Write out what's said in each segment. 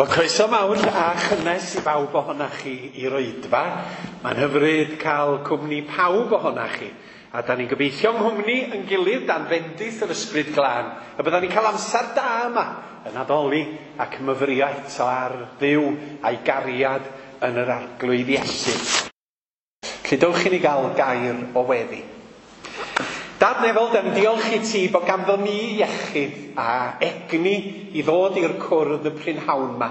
Wel, croeso mawr a chynnes i bawb ohonach chi i'r oedfa. Mae'n hyfryd cael cwmni pawb ohonach chi. A da ni'n gobeithio yng nghwmni yn gilydd dan fendith yr Ysbryd Glân y bydda ni'n cael amser da yma yn addoli ac yn myfyrio eto ar Dduw a'i gariad yn yr Arglwydd Iesu. Felly dowch i ni gael gair o weddi. Dad nefol, da ni'n diolch i ti bod ganddo ni iechyd a egni i ddod i'r cwrdd y prynhawn ma.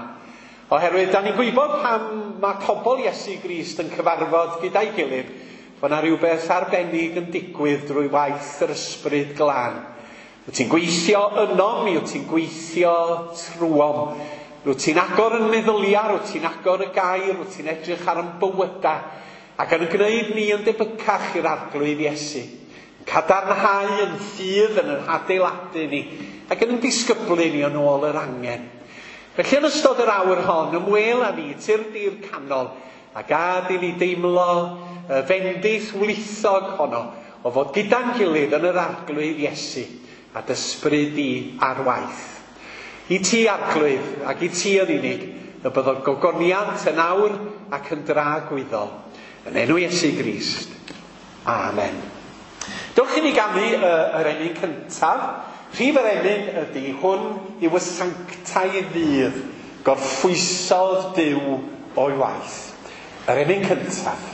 Oherwydd da ni'n gwybod pam mae pobl Iesu Grist yn cyfarfod gyda'i gilydd, bod yna rhywbeth arbennig yn digwydd drwy waith yr Ysbryd Glân. Wyt ti'n gweithio ynom, mi wyt ti'n gweithio trwom. Rwyt ti'n agor yn meddyliau, rwyt ti'n agor y gair, rwyt ti'n edrych ar yn bywydau, ac yn gwneud ni yn debycach i'r Arglwydd Iesu. Yn cadarnhau yn ffydd, yn yn adeiladu ni, ac yn disgyblu ni yn ôl yr angen. Felly yn ystod yr awr hon, ymwel â ni, tyrd i'r canol, a gad i ni deimlo y fendith wlithog honno o fod gyda'n gilydd yn yr Arglwydd Iesu, a d'ysbryd di ar waith. I ti, Arglwydd, ac i ti yn unig, y byddo gogoniant yn awr ac yn dragwyddol. Yn enw Iesu Grist. Amen. Dewch i ni ganu yr emyn cyntaf. Rhif yr emyn ydy hwn yw y sanctaidd ddydd, gorffwysodd Duw o'i waith. Yr emyn cyntaf.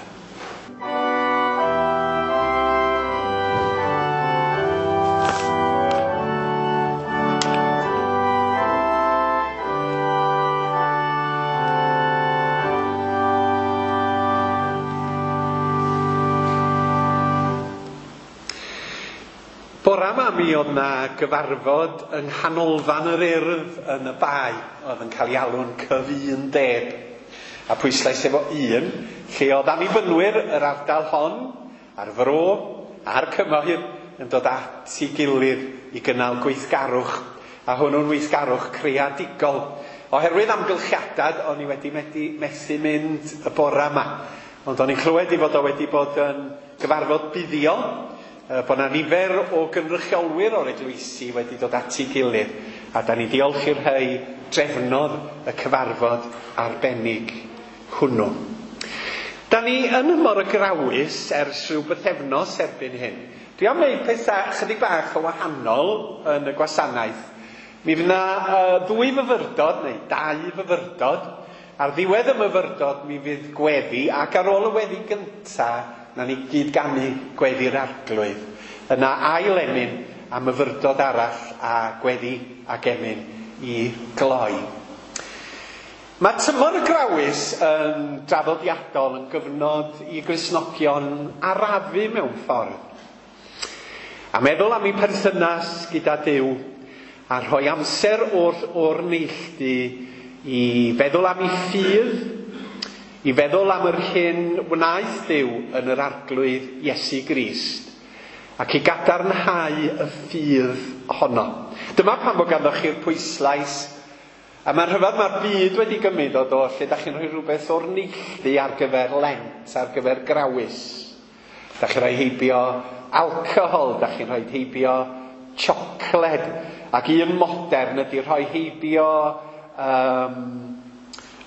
Bora ma mi oedd na gyfarfod yng Nghanolfan yr Urdd yn y Bae, oedd yn cael ei alw'n cyfundeb. A pwyslais efo un, lle oedd annibynwyr yr ardal hon, a'r fro, a'r cymoedd, yn dod at ei gilydd i gynnal gweithgarwch, a hwnnw'n weithgarwch creadigol. Oherwydd amgylchiadau, o'n i wedi methu mynd y bora yma. Ond o'n i'n clywed i fod o wedi bod yn gyfarfod buddiol, bod na nifer o gynrychiolwyr o'r eglwysi wedi dod at ei gilydd, a da ni diolch i'r rhai drefnodd y cyfarfod arbennig hwnnw. Da ni yn Nhymor y Grawys ers rhyw bythefnos erbyn hyn. Dwi am wneud pethau chydig bach o wahanol yn y gwasanaeth. Mi fydd 'na ddwy fyfyrdod, neu dau fyfyrdod. Ar ddiwedd y myfyrdod mi fydd gweddi, ac ar ôl y weddi gynta, na ni gyd ganu gweddi'r Arglwydd. Yna ail emyn a myfyrdod arall a gweddi ac emyn i gloi. Mae tymor y Grawys yn draddodiadol yn gyfnod i Gristnogion arafu mewn ffordd. A meddwl am eu perthynas gyda Duw, a rhoi amser o'r neilltu i feddwl am eu ffydd, i feddwl am yr hyn wnaeth Duw yn yr Arglwydd Iesu Grist, ac i gadarnhau y ffydd honno. Dyma pam bod ganddoch chi'r pwyslais, a mae'n rhyfedd mae'r byd wedi gymryd o do, lle da chi'n rhoi rhywbeth o'r neilltu ar gyfer Lent, ar gyfer Grawys. Da chi'n rhoi heibio alcohol, da chi'n rhoi heibio siocled, ac un modern ydy rhoi heibio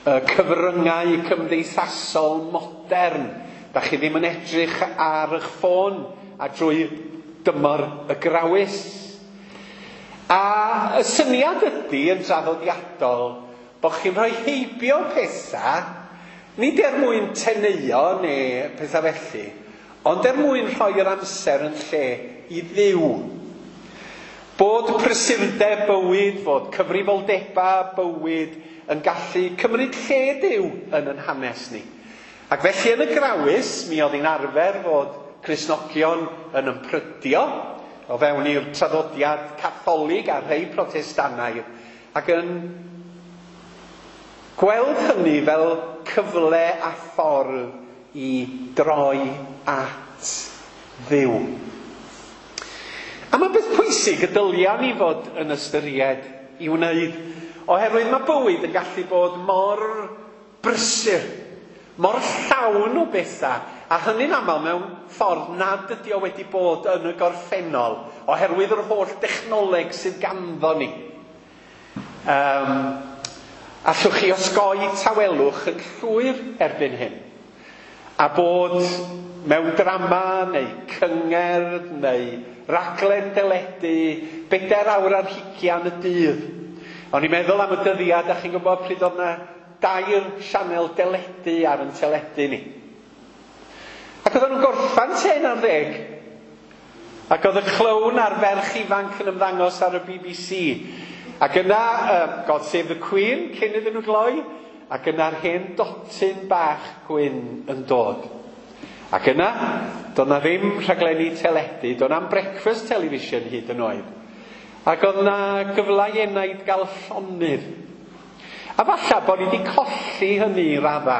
y cyfryngau cymdeithasol modern. Da chi ddim yn edrych ar eich ffôn a drwy dymor y Grawys. A y syniad ydy yn draddodiadol bod chi'n rhoi heibio pethau, nid er mwyn teneuo neu pethau felly, ond er mwyn rhoi'r amser yn lle i Dduw. Bod prysurdeb bywyd, fod cyfrifoldebau bywyd yn gallu cymryd lle Duw yn yn hanes ni. Ac felly yn y Grawys, mi oedd hi'n arfer fod Cristnogion yn ymprydio o fewn i'r traddodiad Catholig a rhai Protestannaidd, ac yn gweld hynny fel cyfle a ffordd i droi at Dduw. A mae beth pwysig y dylia ni fod yn ystyried i wneud, oherwydd mae bywyd yn gallu bod mor brysur, mor llawn o bethau, a hynny'n aml mewn ffordd nad ydy o wedi bod yn y gorffennol, oherwydd yr holl dechnoleg sydd ganddo ni. Allwch chi osgoi tawelwch yn llwyr erbyn hyn. A bod mewn drama neu cyngerdd neu raglen deledu 24 awr y dydd. O'n i'n meddwl am y dyddiad, a chi'n gwybod pryd oedd yna 2 sianel deledu ar yn teledu ni. Ac oedden nhw'n gorffan 10:10. Ac oedd y clown a'r ferch ifanc yn ymddangos ar y BBC. Ac yna, God Save the Queen, cyn iddyn nhw gloi, ac yna'r hen dotyn bach gwyn yn dod. Ac yna, doedd na ddim rhaglenni teledu, doedd na'm breakfast television hyd yn oed. Ac oedd na gyfle i enaid gael llonydd. A falle bod ni wedi colli hynny i radda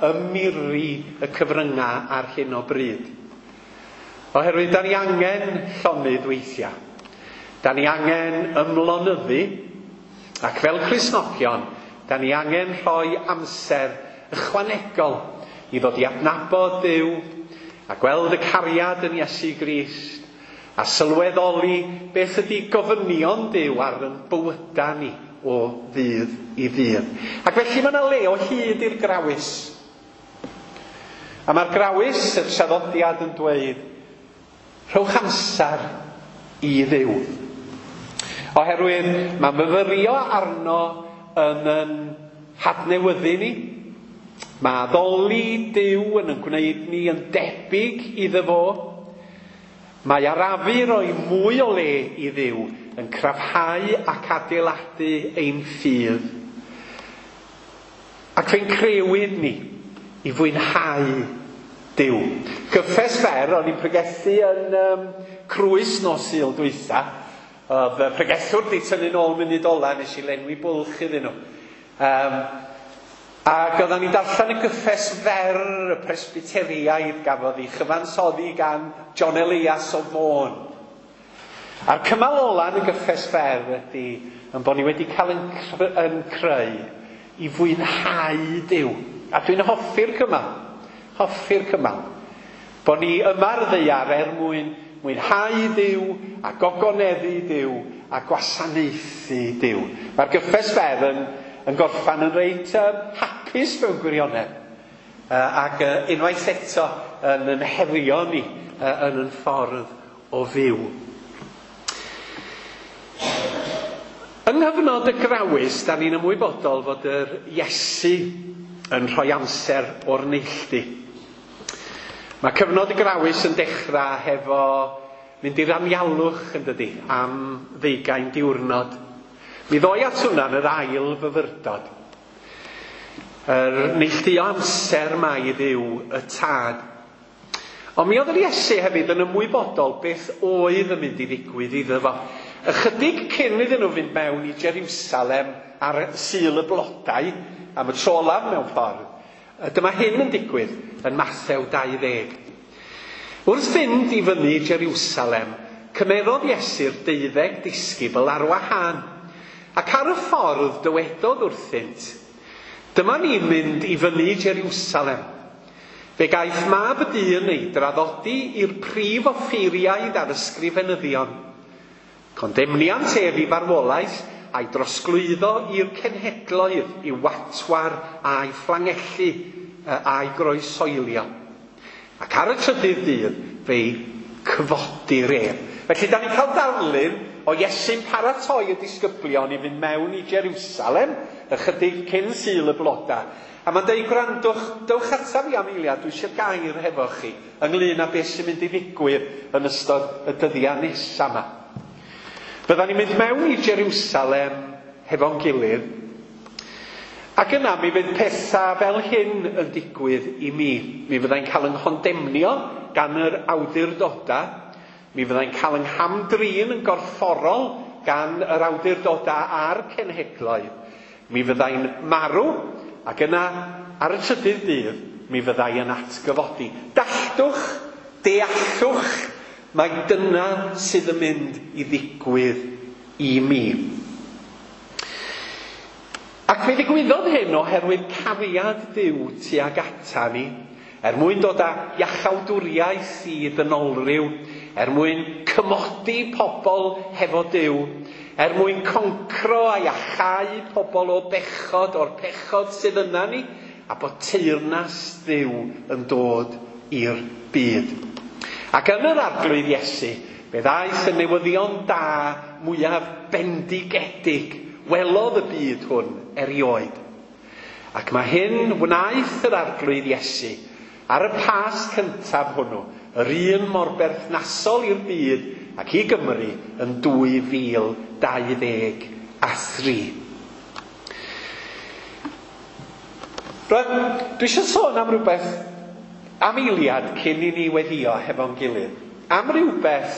ym miri y cyfryngau ar hyn o bryd. Oherwydd da ni angen llonydd weithiau. Da ni angen ymlonyddu, ac fel Cristnogion, da ni angen rhoi amser ychwanegol i ddod i adnabod Duw a gweld y cariad yn Iesu Grist a sylweddoli beth ydy gofynion Duw ar yn bywydau ni o ddydd i ddydd. Ac felly mae yna le o hyd i'r grawys. A mae'r grawys, y traddodiad yn dweud, rhowch amser i Dduw. Oherwydd mae myfyrio arno yn yn hadnewyddu ni. Mae addoli Duw yn yn gwneud ni yn debyg iddo fo. Mae arafu roi mwy o le i Dduw yn cryfhau ac adeiladu ein ffydd. Ac fe'n crewyd ni i fwynhau Duw. Cyffes fer, o'n i'n pregethu yn Crwys nos Sul dwytha. Oedd y pregethwr di tynnu nôl munud ola, nes i lenwi bwlch iddyn nhw. Ac oedden ni'n darllen y gyffes fer y Presbyteriaidd gafodd ei chyfansoddi gan John Elias o Fôn. A'r cymal ola yn y gyffes fer ydy yn bod ni wedi cael yn creu i fwynhau Duw. A dwi'n hoffi'r cymal. Hoffi'r cymal. Bod ni yma ar ddaear er mwyn mwynhau Duw a gogoneddu Duw a gwasanaethu Duw. Mae'r gyffes fer yn gorffan yn reit hapus mewn gwirionedd. Ac unwaith eto yn herio ni yn yn ffordd o fyw. Yng nghyfnod y grawys, da ni'n ymwybodol fod yr Iesu yn rhoi amser o'r neilltu. Mae cyfnod y grawys yn dechrau hefo mynd i'r anialwch yn dydi, am 20 diwrnod. Mi ddoi at hwnna yn yr ail fyfyrdod. Yr neilltuo amser mai Dduw y Tad. Ond mi oedd yr Iesu hefyd yn ymwybodol beth oedd yn mynd i ddigwydd iddo fo. Ychydig cyn iddyn nhw fynd mewn i Jerusalem ar Sul y Blodau, am y tro olaf mewn ffordd, dyma hyn yn digwydd yn Mathew 20. Wrth fynd i fyny Jerusalem, cymerodd Iesu'r 12 disgybl ar wahân, ac ar y ffordd dywedodd wrthynt, dyma ni'n mynd i fyny Jerusalem. Fe gaiff mab y dyn ei draddodi i'r prif offeiriaid a'r ysgrifenyddion. Condemniant ef i farwolaeth a'i drosglwyddo i'r cenhedloedd i watwar a'i fflangellu a'i groesoelio. Ac ar y trydydd dydd fe'i cyfodir ef. Felly da ni'n cael darlun o Iesu'n paratoi y disgyblion i fynd mewn i Jerusalem ychydig cyn Sul y Blodau. A mae'n dweud, gwrandwch, dewch ataf i am eiliad, dwi eisiau gair hefo chi ynglyn â beth sy'n mynd i ddigwydd yn ystod y dyddiau nesaf yma. Fyddan ni'n mynd mewn i Jerusalem hefo'n gilydd, ac yna mi fydd pethau fel hyn yn digwydd i mi. Mi fyddai'n cael yng nghondemnio gan yr awdurdodau, mi fyddai'n cael yng nghamdrin yn gorfforol gan yr awdurdodau a'r cenhedloedd. Mi fyddai'n marw, ac yna ar y trydydd dydd mi fyddai yn atgyfodi. Dalltwch, deallwch, mae dyna sydd yn mynd i ddigwydd i mi. Ac fe ddigwyddodd hyn oherwydd cariad Duw tuag ata ni, er mwyn dod â iachawdwriaeth i ddynolryw, er mwyn cymodi pobl hefo Duw, er mwyn concro a iachau pobl o bechod, o'r pechod sydd yna ni, a bod teyrnas Dduw yn dod i'r byd. Ac yn yr Arglwydd Iesu, fe ddaeth y newyddion da mwyaf bendigedig welodd y byd hwn erioed. Ac mae hyn wnaeth yr Arglwydd Iesu ar y Pasg cyntaf hwnnw, yr un mor berthnasol i'r byd ac i Gymru yn 2023. Rwan, dwi eisiau sôn am rhywbeth am eiliad cyn i ni weddio hefo'n gilydd. Am rhywbeth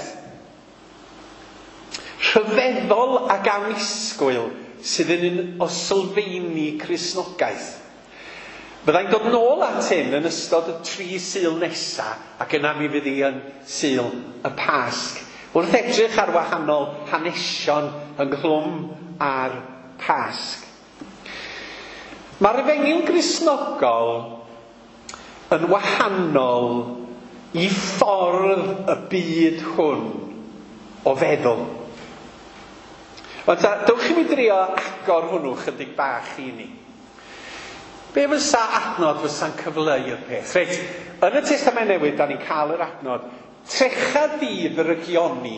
rhyfeddol ac annisgwyl sydd yn un o sylfeini Cristnogaeth. Byddai'n dod nôl at hyn yn ystod y 3 Sul nesa, ac yna mi fydd hi yn Sul y Pasg. Wrth edrych ar wahanol hanesion ynghlwm â'r Pasg. Mae'r Efengyl Gristnogol yn wahanol i ffordd y byd hwn o feddwl. Ond ta, dewch i mi drio agor hwnnw chydig bach i ni. Be fysa adnod fysa'n cyfleu y peth? Reit, yn y Testament Newydd, da ni'n cael yr adnod, trecha di drygioni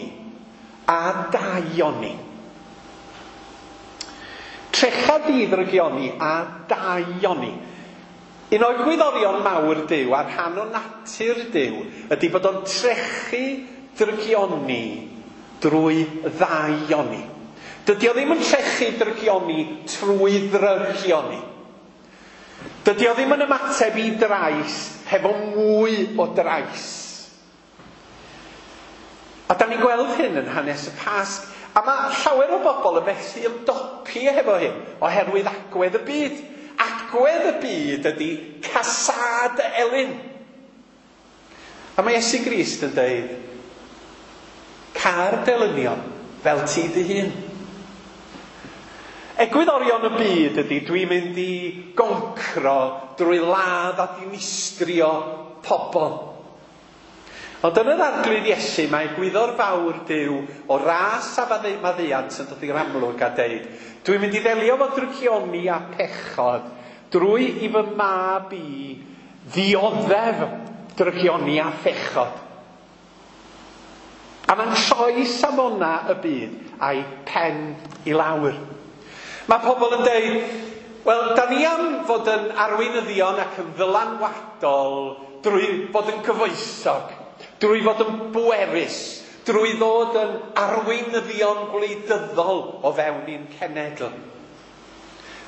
a daioni. Trecha di ddrygioni a daioni. Un o'r egwyddorion mawr Duw a rhan o natur Duw ydy bod o'n trechu drygioni drwy ddaioni. Dydy o ddim yn trechu drygioni trwy ddrygioni. Dydy o ddim yn ymateb i drais hefo mwy o drais. A da ni'n gweld hyn yn hanes y Pasg. A mae llawer o bobl yn methu ymdopi hefo hyn oherwydd agwedd y byd. Agwedd y byd ydy casâd elyn. A mae Iesu Grist yn dweud, car delynion fel ti dy hun. Egwyddorion y byd ydy dwi'n mynd i goncro drwy ladd a dinistrio pobl. Ond yn yr Arglwydd Iesu mae egwyddor fawr Duw o ras a maddeuant yn dod i'r amlwg a deud, dwi'n mynd i ddelio fo drygioni a pechod drwy i fy mab i ddioddef drygioni a phechod. A mae'n troi safona y byd a'i pen i lawr. Mae pobl yn deud, wel, da ni am fod yn arweinyddion ac yn ddylanwadol drwy fod yn gyfoethog, drwy fod yn bwerus, drwy ddod yn arweinyddion gwleidyddol o fewn ein cenedl.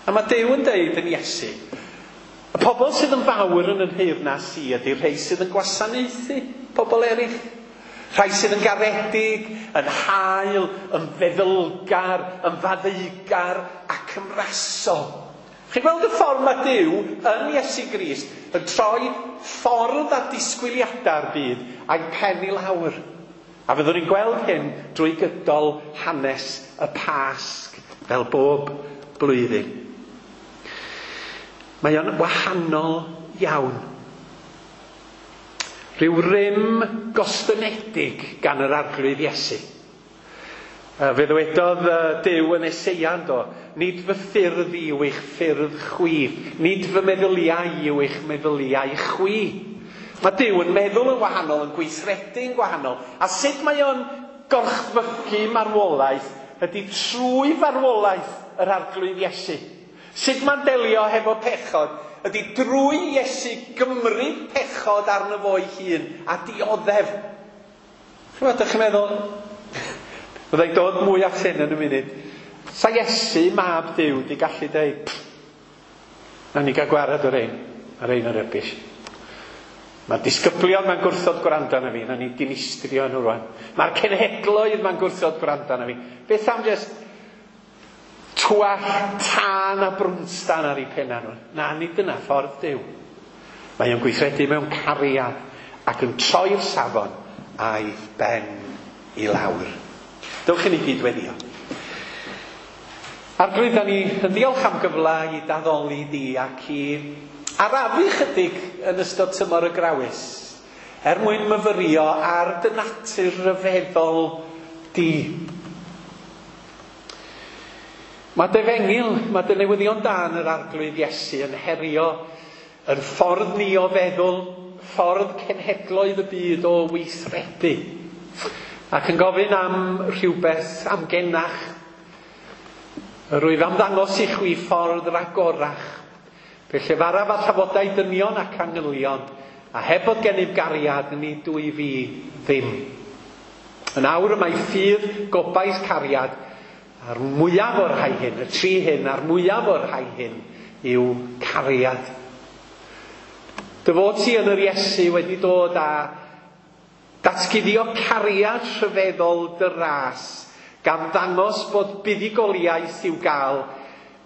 A mae Duw yn deud yn Iesu, y pobl sydd yn fawr yn y nheyrnas i ydy'r rhai sydd yn gwasanaethu pobl eraill. Rhai sydd yn garedig, yn hael, yn feddylgar, yn faddeugar ac yn rasol. Chi'n gweld y ffordd mae Duw yn Iesu Grist yn troi ffordd a disgwyliadau'r byd a'i pen i lawr. A fyddwn ni'n gweld hyn drwy gydol hanes y Pasg fel bob blwyddyn. Mae o'n wahanol iawn. Rhyw rym gostynedig gan yr Arglwydd Iesu. Fe ddywedodd Duw yn Eseia, do, nid fy ffyrdd i yw eich ffyrdd chwi, nid fy meddyliau yw eich meddyliau chwi. Mae Duw yn meddwl yn wahanol, yn gweithredu'n gwahanol. A sut mae o'n gorchfygu marwolaeth ydy trwy farwolaeth yr Arglwydd Iesu. Sut mae'n delio hefo pechod ydy drwy Iesu gymryd pechod arno fo'i hun a dioddef. Chymod, ydych chi'n meddwl, byddai'n dod mwy at hyn yn y munud. Sa Iesu, mab Duw, di gallu deud, na ni gael gwared o'r ein, ar ein o'r rybish. Mae'r disgyblion mae'n gwrthod gwrando arna fi, na ni dinistrio nhw rwan. Mae'r cenhedloedd mae'n gwrthod gwrando arna fi. Beth am just twall tân a brwnstan ar eu penna nhw? Na, nid dyna ffordd Duw. Mae o'n gweithredu mewn cariad ac yn troi'r safon a'i ben i lawr. Dewch i ni gyd weddio. Arglwydd, da ni yn diolch am gyfle i daddoli di ac i arafu chydig yn ystod tymor y grawys, er mwyn myfyrio ar dy natur ryfeddol di. Mae dy efengyl, mae dy newyddion da yn yr Arglwydd Iesu yn herio yn ffordd ni o feddwl, ffordd cenhedloedd y byd o weithredu, ac yn gofyn am rhywbeth amgenach. Rwyf am ddangos i chwi ffordd ragorach, fe llefaraf â thafodau dynion ac angylion, a heb fod gennyf gariad, nid dwy fi ddim. Yn awr y mae ffydd, gobaith, cariad, a'r mwyaf o'r rhai hyn, y tri hyn, a'r mwyaf o'r rhai hyn yw cariad. Dy fod ti yn yr Iesu wedi dod â datguddio cariad rhyfeddol dy ras, gan ddangos bod buddugoliaeth i'w gael,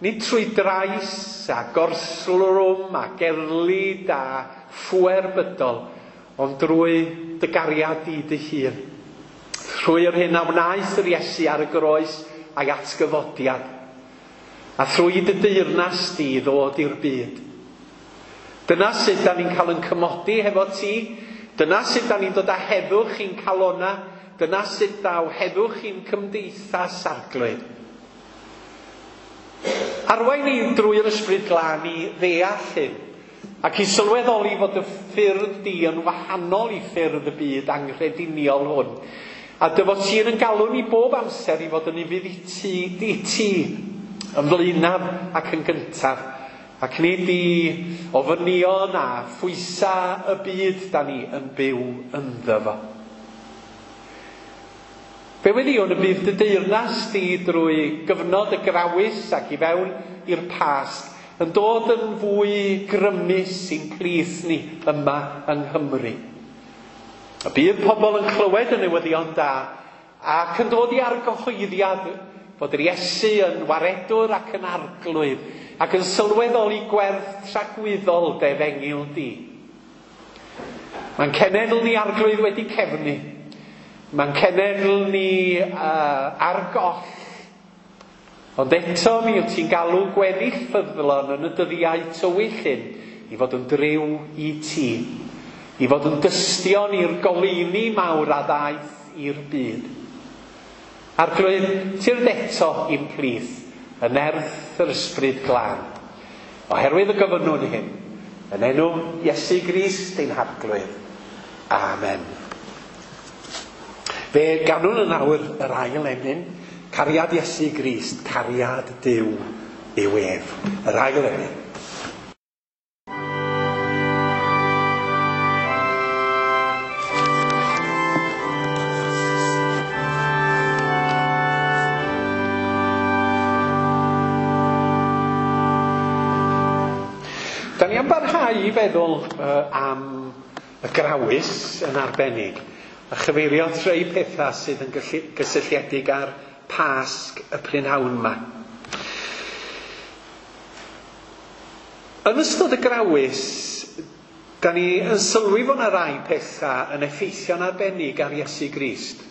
nid trwy drais a gorslwm a gerlid a phŵer bydol, ond drwy dy gariad di dy hun. Trwy yr hyn a wnaeth yr Iesu ar y groes a'i atgyfodiad, a thrwy dy deyrnas di ddod i'r byd. Dyna sut da ni'n cael yn cymodi hefo ti, dyna sut da ni'n dod â heddwch i'n calona, dyna sut daw heddwch i'n cymdeithas Arglwydd. Arwain ni drwy'r Ysbryd Glân i ddeall hyn, ac i sylweddoli fod y ffyrdd di yn wahanol i ffyrdd y byd anghrediniol hwn. A dy fod ti yn galw ni bob amser i fod yn ufudd i ti, yn flaenaf ac yn gyntaf, ac nid i ofynion a phwysa y byd da ni yn byw ynddo fo. Fe weddïwn y bydd dy deyrnas di drwy gyfnod y grawys ac i fewn i'r Pasg yn dod yn fwy grymus i'n plith ni yma yng Nghymru. Y bydd pobl yn clywed y newyddion da ac yn dod i argyhoeddiad fod yr Iesu yn waredwr ac yn arglwydd ac yn sylweddoli gwerth tragwyddol dy efengyl di. Mae'n cenedl ni Arglwydd wedi cefnu. Mae'n cenedl ni ar goll. Ond eto mi wyt ti'n galw gweddill ffyddlon yn y dyddiau tywyll hyn i fod yn driw i ti, i fod yn dystion i'r goleuni mawr a ddaeth i'r byd. Arglwydd, tyrd eto i'n plith, yn nerth yr Ysbryd Glân. Oherwydd y gofynnwn hyn, yn enw Iesu Grist ein Harglwydd. Amen. Fe ganwn yn awr yr ail emyn, cariad Iesu Grist, cariad Duw yw ef. Yr ail emyn. Da ni am barhau i feddwl am y grawys yn arbennig, a chyfeirio at rhai pethau sydd yn gysylltiedig â'r Pasg y prynhawn yma. Yn ystod y grawys, da ni yn sylwi fod yna rai pethau yn effeithio'n arbennig ar Iesu Grist.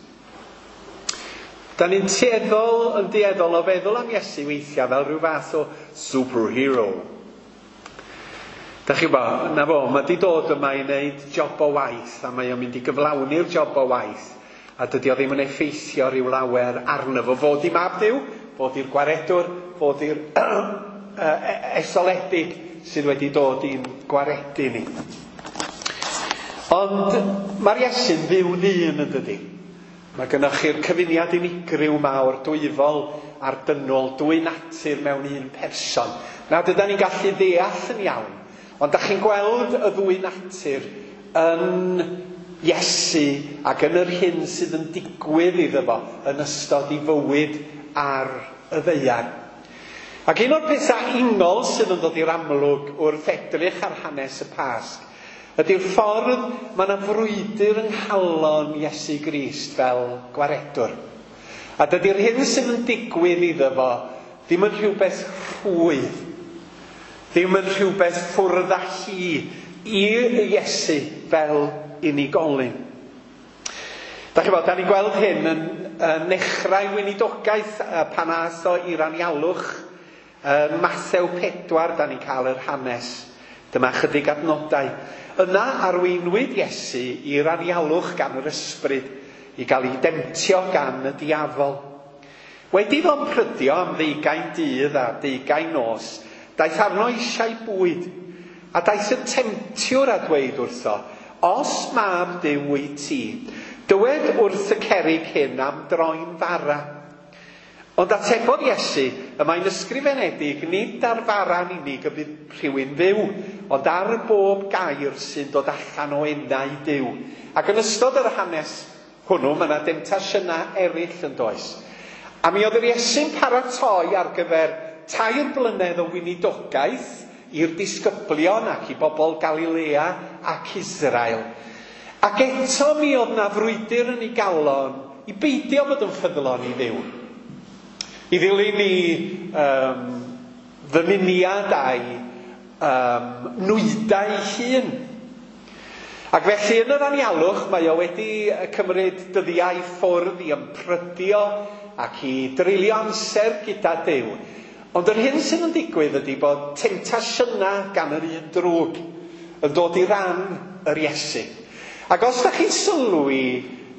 Da ni'n dueddol o feddwl am Iesu weithiau fel rhyw fath o superhero. Da chi bo, na fo, mae di dod yma i wneud job o waith, a mae o'n mynd i gyflawni'r job o waith, a dydy o ddim yn effeithio rhyw lawer arno fo. Fod i mab Duw, fod i'r gwaredwr, fod i'r etholedig sydd wedi dod i'n gwaredu ni. Ond mae'r Iesu'n dduw ddyn yn dydi. Mae gynnoch chi'r cyfuniad unigryw mawr, dwyfol a'r dynol, dwy natur mewn un person. Na, dydan ni'n gallu ddeall yn iawn. Ond da chi'n gweld y ddwy natur yn Iesu ac yn yr hyn sydd yn digwydd iddo fo yn ystod ei fywyd ar y ddaear. Ac un o'r pethau ingol sydd yn dod i'r amlwg wrth edrych ar hanes y Pasg ydy'r ffordd mae yna frwydr yng nghalon Iesu Grist fel gwaredwr. A dydy'r hyn sydd yn digwydd iddo fo ddim yn rhywbeth rhwydd, ddim yn rhywbeth ffwrdd â hi i Iesu fel unigolyn. Da chi bod, da ni'n gweld hyn yn nechrau weinidogaeth pan aeth o i'r anialwch. Yn Mathew 4, da ni'n cael yr hanes. Dyma chydig adnodau. Yna arweinwyd Iesu i'r anialwch gan yr ysbryd i gael ei demtio gan y diafol. Wedi iddo ymprydio am ddeugain dydd a deugain nos, daeth arno eisiau bwyd, a daeth y temtiwr a dweud wrtho, Os mab Duw wyt ti, dywed wrth y cerrig hyn am droi'n fara. Ond atebodd Iesu, y mae'n ysgrifenedig, nid ar fara'n unig y bydd rhywun fyw, ond ar bob gair sy'n dod allan o enau Duw. Ac yn ystod yr hanes hwnnw, mae yna demtasiynau eraill yn does. A mi oedd yr Iesu'n paratoi ar gyfer 3 blynedd o weinidogaeth i'r disgyblion ac i bobl Galilea ac Israel. Ac eto mi oedd na frwydr yn ei galon i beidio bod yn ffyddlon i Dduw. I ddilyn i ddymuniad a'i nwydau hun. Ac felly yn yr anialwch mae o wedi cymryd dyddiau ffwrdd i ymprydio ac i dreulio amser gyda Duw. Ond yr hyn sydd yn digwydd ydy bod temtasiynau gan yr un drwg yn dod i ran yr Iesu. Ac os da chi'n sylwi,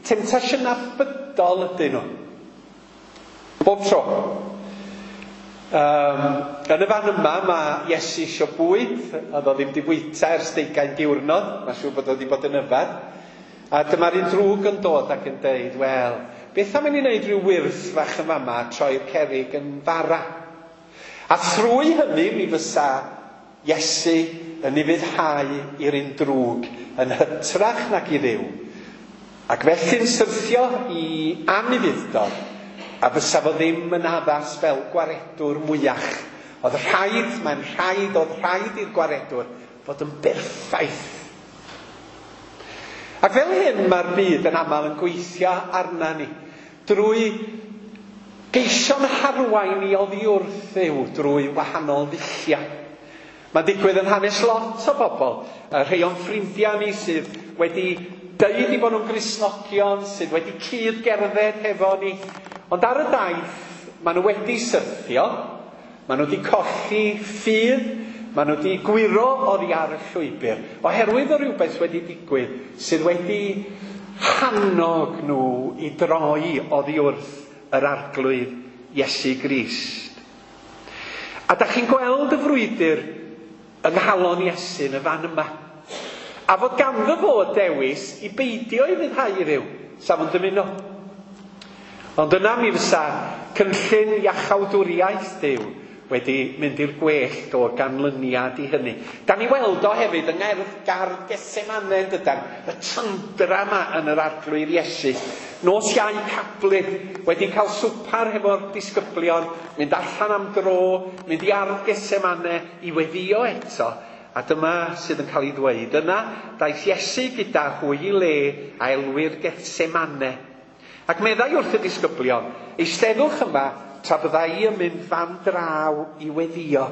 temtasiynau bydol ydyn nhw. Bob tro. Yn y fan yma mae Iesu isio bwyd, oedd o ddim di bwyta ers 20 diwrnod, mae'n siŵr bod o wedi bod yn yfed. A dyma'r un drwg yn dod ac yn deud, wel, beth am i ni wneud rhyw wyrth fach yn fama, troi'r cerrig yn fara. A thrwy hynny mi fysa Iesu yn ufuddhau i'r un drwg yn hytrach nag i Dduw. Ac felly'n syrthio i anufudd-dod, a fysa fo ddim yn addas fel gwaredwr mwyach. Oedd rhaid, mae'n rhaid, oedd rhaid i'r gwaredwr fod yn berffaith. Ac fel hyn mae'r byd yn aml yn gweithio arna ni, drwy geisio'n harwain i oddi wrth Dduw drwy wahanol ddulliau. Mae'n digwydd yn hanes lot o bobl, rhai o'n ffrindiau ni sydd wedi deud i bod nhw'n Gristnogion, sydd wedi cyd-gerdded hefo ni, ond ar y daith maen nhw wedi syrthio, maen nhw wedi colli ffydd, maen nhw wedi gwyro oddi ar y llwybr, oherwydd o rhywbeth wedi digwydd sydd wedi hannog nhw i droi oddi wrth yr Arglwydd Iesu Grist. A da chi'n gweld y frwydr yng nghalon Iesu yn y fan yma. A fod ganddo fo dewis i beidio i ufuddhau i Dduw, sa fo'n dymuno. Ond yna mi fysa cynllun iachawdwriaeth Duw wedi mynd i'r gwellt o ganlyniad i hynny. Da ni weld o hefyd yng ngerdd gardd Gethsemane, yn dydan, y tyndra yma yn yr Arglwydd Iesu. Nos Iau Cablu, wedi cael swpar hefo'r disgyblion, mynd allan am dro, mynd i ardd Gethsemane i weddio eto. A dyma sydd yn cael ei ddweud. Yna daeth Iesu gyda hwy i le a elwir Gethsemane. Ac meddai wrth y disgyblion, eisteddwch yma tra bydda i yn mynd fan draw i weddio.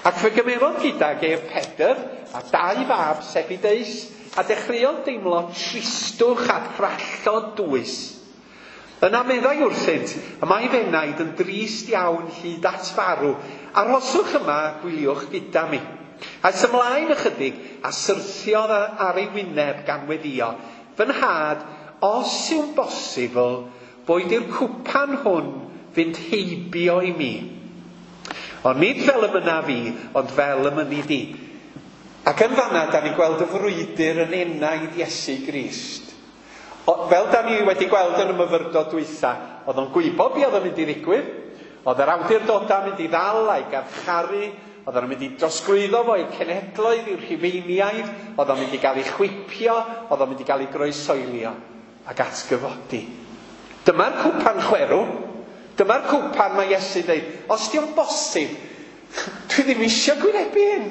Ac fe gymerodd gydag ef Pedr a 2 fab Sebedeus, a dechreuodd deimlo tristwch a thrallod dwys. Yna meddai wrthynt, y mae f'enaid yn drist iawn hyd at farw, arhoswch yma a gwyliwch gyda mi. Aeth ymlaen ychydig a syrthiodd ar ei wyneb gan weddio, fy nhad, os yw'n bosibl, boed i'r cwpan hwn fynd heibio i mi. Ond nid fel y mynna fi, ond fel y mynni di. Ac yn fanna, da ni'n gweld y frwydr yn enaid Iesu Grist. Fel da ni wedi gweld yn y myfyrdod dwytha, oedd o'n gwybod be oedd o'n mynd i ddigwydd, oedd yr awdurdodau mynd i ddal a'i garcharu, oedd o'n mynd i drosglwyddo fo i'r cenhedloedd, i'r Rhufeiniaid, oedd o'n mynd i gael ei chwipio, oedd o'n mynd i gael ei groesoelio ac atgyfodi. Dyma'r cwpan chwerw, dyma'r cwpan mae Iesu'n dweud, os di o'n bosib, dwi ddim eisiau gwynebu hyn.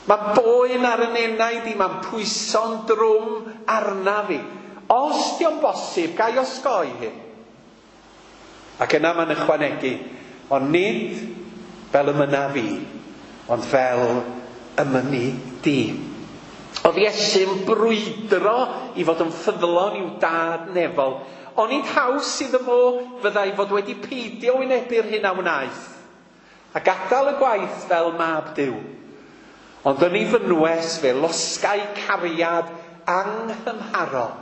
Mae boen ar yn enaid i, mae'n pwyso'n drwm arna fi. Os di o'n bosib, ga i osgoi hyn. Ac yna mae'n ychwanegu, ond nid fel y mynna fi, ond fel y mynni di. Oedd Iesu'n brwydro i fod yn ffyddlon i'w dad nefol. Onid haws iddo fo fyddai fod wedi peidio wynebu'r hyn a wnaeth, a gadael y gwaith fel mab Duw. Ond yn ei fynwes fe losgai cariad anghymharol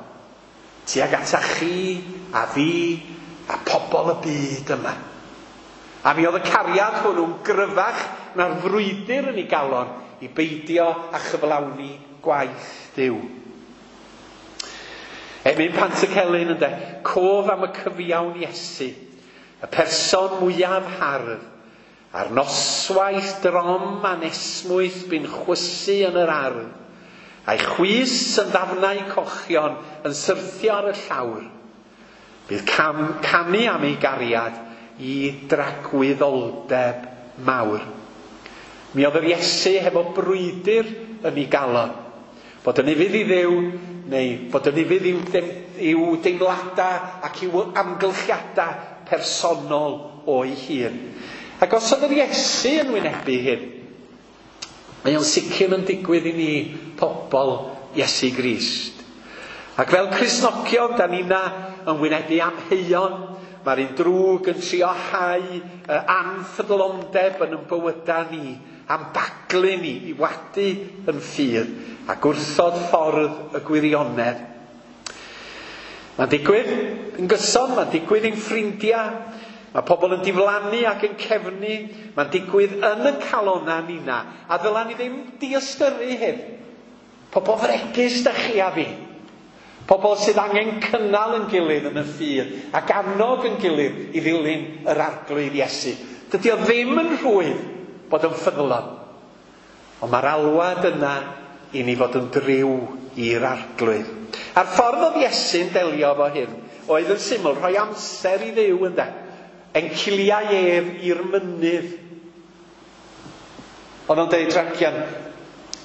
tuag ata chi a fi a pobl y byd yma. A mi oedd y cariad hwnnw'n gryfach na'r frwydr yn ei galon i beidio a chyflawni gwaith Duw. Emyn Pantycelyn ynde, cof am y cyfiawn Iesu, y person mwyaf hardd, a'r noswaith drom anesmwyth bu'n chwysu yn yr ardd, a'i chwys yn ddafnau cochion yn syrthio ar y llawr. Bydd canu am ei gariad i dragwyddoldeb mawr. Mi oedd yr Iesu hefo brwydr yn ei galon. Bod yn ufudd i Dduw, neu bod yn ufudd i'w deimladau ac i'w amgylchiadau personol o'i hun. Ac os oedd yr Iesu yn wynebu hyn, mae o'n sicr yn digwydd i ni pobl Iesu Grist. Ac fel Cristnogion, da ni'na yn wynebu amheuon, mae'r un drwg yn trio hau anffyddlondeb yn ein bywydau ni, am baglu ni i wadu yn ffydd a gwrthod ffordd y gwirionedd. Mae'n digwydd yn gyson, mae'n digwydd i'n ffrindiau, mae pobl yn diflannu ac yn cefnu, mae'n digwydd yn y calonnau nina, a ddyla ni ddim diystyru hyn. Pobl fregus da chi a fi. Pobl sydd angen cynnal yn gilydd yn y ffydd ac annog yn gilydd i ddilyn yr Arglwydd Iesu. Dydy o ddim yn rhwydd bod yn ffyddlon. Ond mae'r alwad yna i ni fod yn driw i'r Arglwydd. A'r ffordd oedd Iesu'n delio efo hyn oedd yn syml rhoi amser i Dduw ynde. Enciliau ef i'r mynydd. Oedd o'n deud ragian,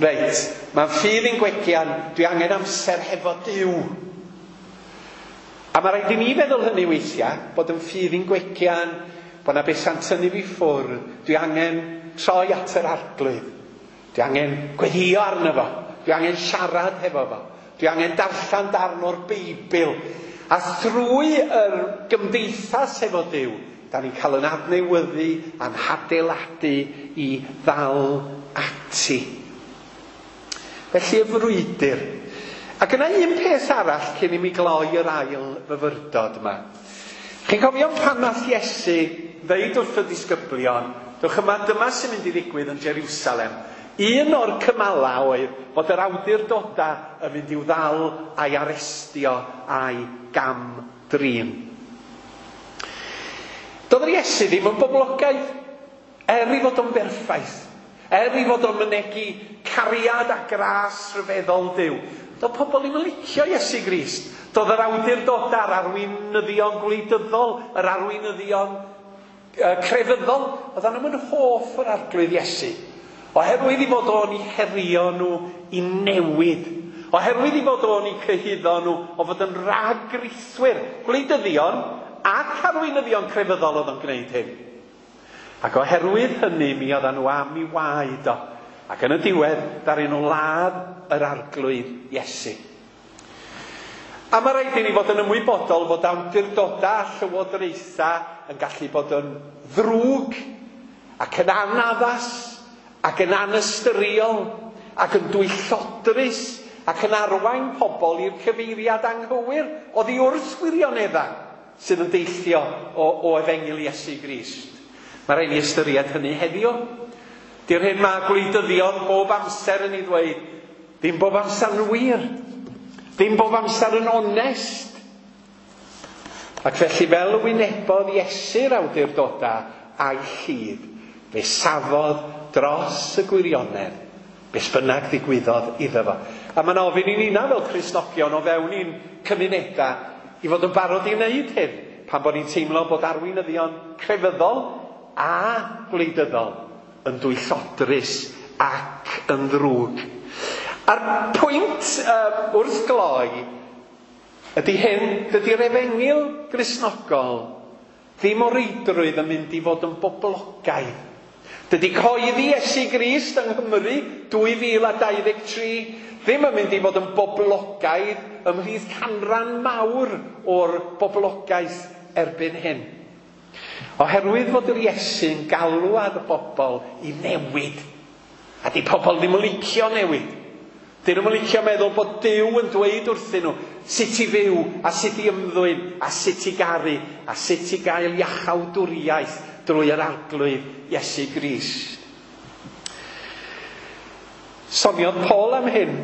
reit, mae'n ffydd i'n gwegian, dwi angen amser hefo Duw. A mae rhaid i ni feddwl hynny weithiau, bod yn ffydd i'n gwegian, bod na bethau'n tynnu fi ffwrdd, dwi angen troi at yr Arglwydd. Dwi angen gweddio arno fo, dwi angen siarad hefo fo, dwi angen darllen darn o'r Beibl. A thrwy yr gymdeithas hefo Duw, da ni'n cael yn adnewyddu a'n hadeiladu i ddal ati. Felly y frwydr. Ac yna un peth arall cyn i mi gloi yr ail fyfyrdod yma. Chi'n cofio pan nath Iesu ddeud wrth y disgyblion, dewch yma, dyma sy'n mynd i ddigwydd yn Jerusalem. Un o'r cymalau oedd bod yr awdurdodau yn mynd i'w ddal a'i arestio a'i gam-drin. Doedd yr Iesu ddim yn boblogaidd, er i fod o'n berffaith, er i fod o'n mynegi cariad a gras rhyfeddol Duw. Doedd pobl ddim yn licio Iesu Grist. Doedd yr awdurdodau, yr arweinyddion gwleidyddol, yr arweinyddion crefyddol, oedden nhw'n hoff o'r Arglwydd Iesu. Oherwydd i fod o'n i herio nhw i newid. Oherwydd i fod o'n i cyhuddo nhw o fod yn ragriswyr, gwleidyddion ac arweinyddion crefyddol oedd o'n gwneud hyn. Ac oherwydd hynny mi oedden nhw am i waed o. Ac yn y diwedd, ddaru nhw ladd yr Arglwydd Iesu. A mae rhaid i ni fod yn ymwybodol fod awdurdodau a llywodraethau yn gallu bod yn ddrwg ac yn anaddas ac yn anystyriol ac yn dwyllodrus ac yn arwain pobl i'r cyfeiriad anghywir oddi wrth wirioneddau sydd yn deillio o Efengyl Iesu Grist. Mae rhaid ni ystyried hynny heddiw. Di'r hyn mae gwleidyddion bob amser yn ei ddweud, ddim bob amser yn wir, ddim bob amser yn onest. Ac felly fel y wynebodd Iesu'r awdurdodau a'i llid, fe safodd dros y gwirionedd, beth bynnag ddigwyddodd iddo fo. A mae'n ofyn i nina fel Cristnogion o fewn i'n cymunedau i fod yn barod i wneud hyn, pan bod ni'n teimlo bod arweinyddion crefyddol a gwleidyddol yn dwyllodrus ac yn ddrwg. A'r pwynt wrth gloi ydy hyn, dydy'r Efengyl Gristnogol ddim o reidrwydd yn mynd i fod yn boblogaidd. Dydy cyhoeddi Iesu Grist yng Nghymru 2023 ddim yn mynd i fod yn boblogaidd ymhlith canran mawr o'r boblogaeth erbyn hyn. Oherwydd fod yr Iesu'n galw ar y bobl i newid. A di pobl ddim yn licio newid. Dyn nhw'n licio meddwl bod Duw yn dweud wrthyn nhw sut i fyw a sut i ymddwyn a sut i garu a sut i gael iachawdwriaeth drwy yr Arglwydd Iesu Grist. Soniodd Paul am hyn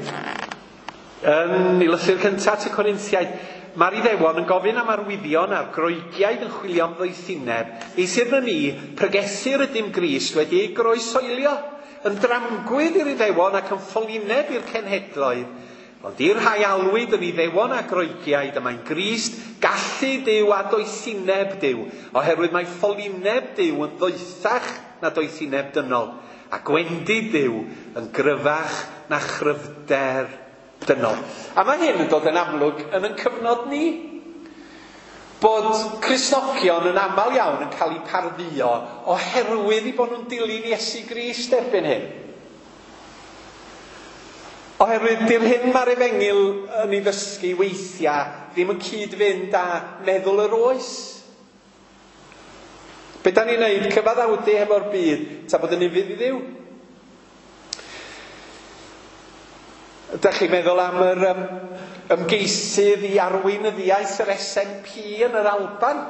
yn ei lythyr cyntaf at y Corinthiaid. Mae'r Iddewon yn gofyn am arwyddion a'r Groegiaid yn chwilio am ddoethineb. Eithr na ni, pregethir ydym Grist wedi ei groesoelio, yn dramgwydd i'r Iddewon ac yn ffolineb i'r cenhedloedd. Ond i'r rhai alwyd yn Iddewon a Groegiaid, y mae'n Grist gallu Duw a doethineb Duw, oherwydd mae ffolineb Duw yn ddoethach na doethineb dynol, a gwendid Duw yn gryfach na chryfder dynol. A mae hyn yn dod yn amlwg yn ein cyfnod ni. Bod Cristnogion yn aml iawn yn cael eu pardduo oherwydd eu bod nhw'n dilyn Iesu Grist erbyn hyn. Oherwydd di'r hyn mae'r Efengyl yn ei ddysgu weithiau ddim yn cyd-fynd â meddwl yr oes. Be da ni'n neud? Cyfaddawdu hefo'r byd, ta bod yn ufudd i Dduw? Ydych chi'n meddwl am yr ymgeisydd i arweinyddiaeth yr SNP yn yr Alban,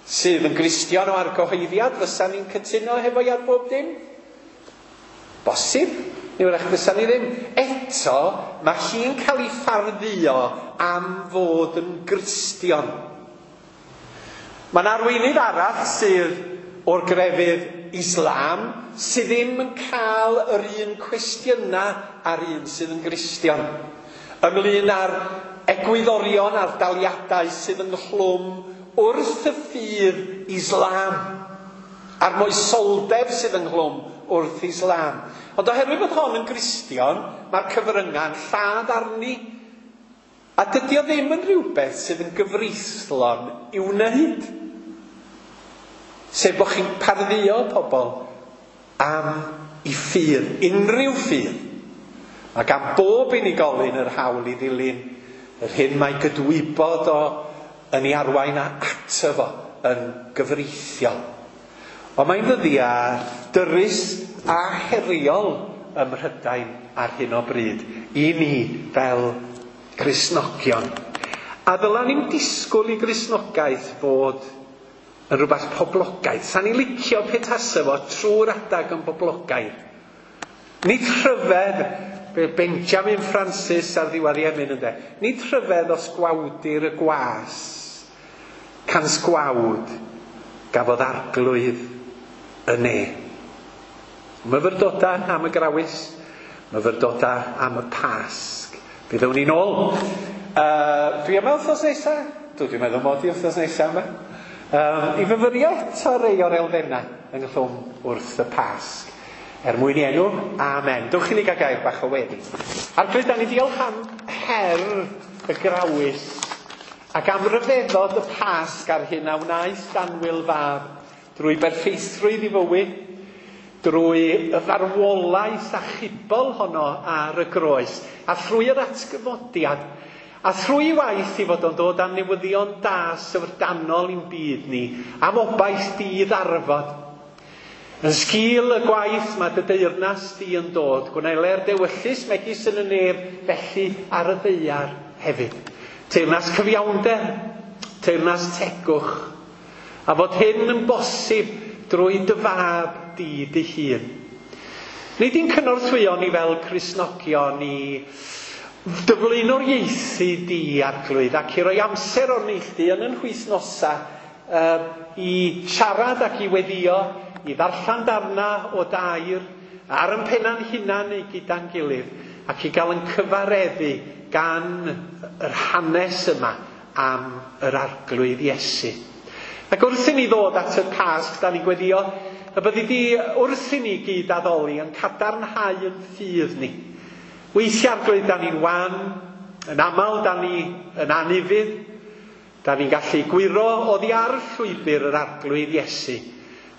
sydd yn Gristion o argyhoeddiad, fysa ni'n cytuno hefo i ar bob dim? Bosib, neu wrach fysa ni ddim. Eto, mae hi'n cael ei phardduo am fod yn Gristion. Mae'n arweinydd arall sydd o'r grefydd Islam sydd ddim yn cael yr un cwestiynau a'r un sydd yn Gristion. Ynglyn â'r egwyddorion a'r daliadau sydd ynghlwm wrth y ffydd Islam, a'r moesoldeb sydd ynghlwm wrth Islam. Ond oherwydd bod hon yn Gristion, mae'r cyfryngau'n lladd arni. A dydy o ddim yn rhywbeth sydd yn gyfreithlon i'w wneud. Sef bod chi'n pardduo pobl am i ffydd, unrhyw ffydd. Mae gan bob unigolyn yr hawl i ddilyn yr hyn mae gydwybod o yn ei arwain ato fo yn gyfreithiol. Ond mae'n ddyddiau dyrys a heriol ym Mhrydain ar hyn o bryd i ni fel Cristnogion. A ddyla ni'n disgwyl i Gristnogaeth fod yn rhywbeth poblogaidd. Sa'n ni'n licio petasa fo trwy'r adag yn boblogaidd. Nid rhyfedd, Benjamin Francis ar ddiwedd ei emyn ynde, nid rhyfedd os gwawdir y gwas, cans gwawd gafodd arglwydd y ne. Myfyrdodau am y grawys, myfyrdodau am y Pasg. Fe ddown ni'n ôl. Dwi yma wythnos nesa? Dwi'n meddwl mod i wythnos nesa yma. I fyfyrio eto rei o'r elfennau ynghlwm wrth y Pasg. Er mwyn i enw, amen. Dewch i ni gael gair bach o weddi. Arglwydd, da ni diolch am her y grawys ac am ryfeddod y Pasg a'r hyn a wnaeth Danwyl fab drwy berffeithrwydd i fywyd, drwy y farwolaeth achubol honno ar y groes, a thrwy yr atgyfodiad, a thrwy waith i fod o'n dod am newyddion da syfrdanol i'n byd ni, am obaith dydd arfod. Yn sgil y gwaith mae dy deyrnas di yn dod, gwneler dewyllys megis yn y nef, felly ar y ddaear hefyd. Teyrnas cyfiawnder, teyrnas tegwch, a fod hyn yn bosib drwy dy fab di dy hun. Nid i'n cynorthwyo ni fel Cristnogion i dyflaenoriaethu di, Arglwydd, ac i roi amser o'r neilltu yn yn hwythnosa i siarad ac i weddio, i ddarllen darna o dair, ar yn penna'n hunan neu gyda'n gilydd, ac i gael yn cyfareddu gan yr hanes yma am yr Arglwydd Iesu. Ac wrth i ni ddod at y Pasg, da ni'n gweddio y byddi di wrth i ni gyd addoli yn cadarnhau yn ffydd ni. Weithiau Arglwydd, da ni'n wan, yn aml da ni yn anufudd, da ni'n gallu gwyro oddi ar llwybr yr Arglwydd Iesu.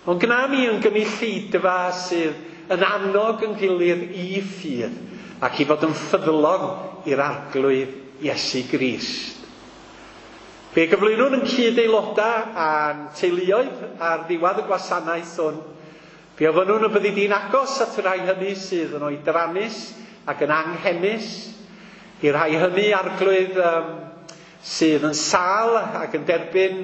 Ond gna ni yn gynulleidfa sydd yn annog yn gilydd i ffydd ac i fod yn ffyddlon i'r Arglwydd Iesu Grist. Fe gyflwynwn yn cyd-aelodau a'n teuluoedd ar ddiwedd y gwasanaeth hwn. Fe ofynnwn y byddi di'n agos at y rhai hynny sydd yn oedrannus ac yn anghenus, i'r rhai hynny, Arglwydd, sydd yn sâl ac yn derbyn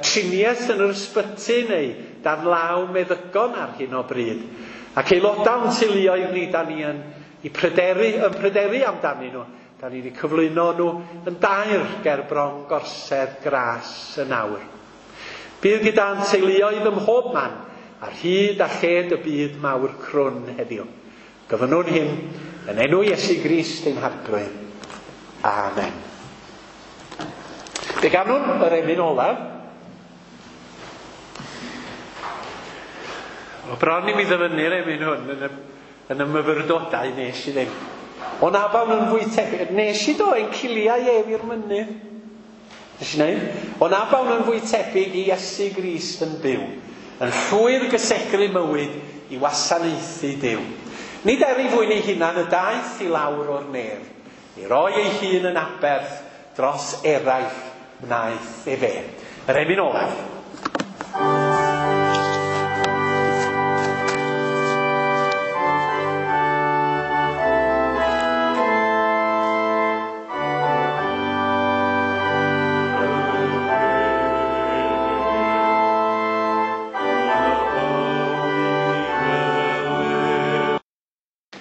triniaeth yn yr ysbyty neu dan law meddygon ar hyn o bryd. Ac aelodau o'n teuluoedd ni, da ni yn pryderu amdanyn nhw. Da ni wedi cyflwyno nhw yn dair ger bron gorsedd gras yn awr. Bydd gyda'n teuluoedd ym mhob man ar hyd a lled y byd mawr crwn heddiw. Gofynnwn hyn yn enw Iesu Grist ein Harglwydd. Amen. Fe ganwn yr emyn olaf. O bron i mi ddyfynnu'r emyn hwn yn y myfyrdodau nes i ddim. O na bawn yn fwy tebyg. Nes i do ein ciliau ef i'r mynydd. Nes i wneud? O na bawn yn fwy tebyg i Iesu Grist yn byw. Yn llwyr gysegru mywyd i wasanaethu Duw. Nid er ei fwyn ei hunan y daeth i lawr o'r nef. I roi ei hun yn aberth dros eraill wnaeth efe. Yr emyn olaf.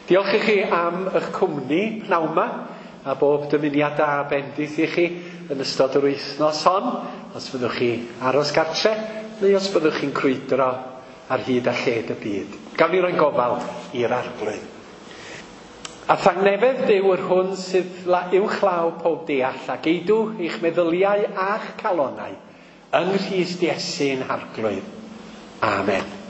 Diolch i chi am eich cwmni pnawn 'ma, a bob dymuniad da a bendith i chi yn ystod yr wythnos hon, os fyddwch chi aros gartre, neu os byddwch chi'n crwydro ar hyd a lled y byd. Gawn ni roi'n gofal i'r Arglwydd. A thangnefedd Duw yr hwn sydd uwchlaw pob deall, a geidw eich meddyliau a'ch calonau yng Nghrist Iesu'n Harglwydd. Amen.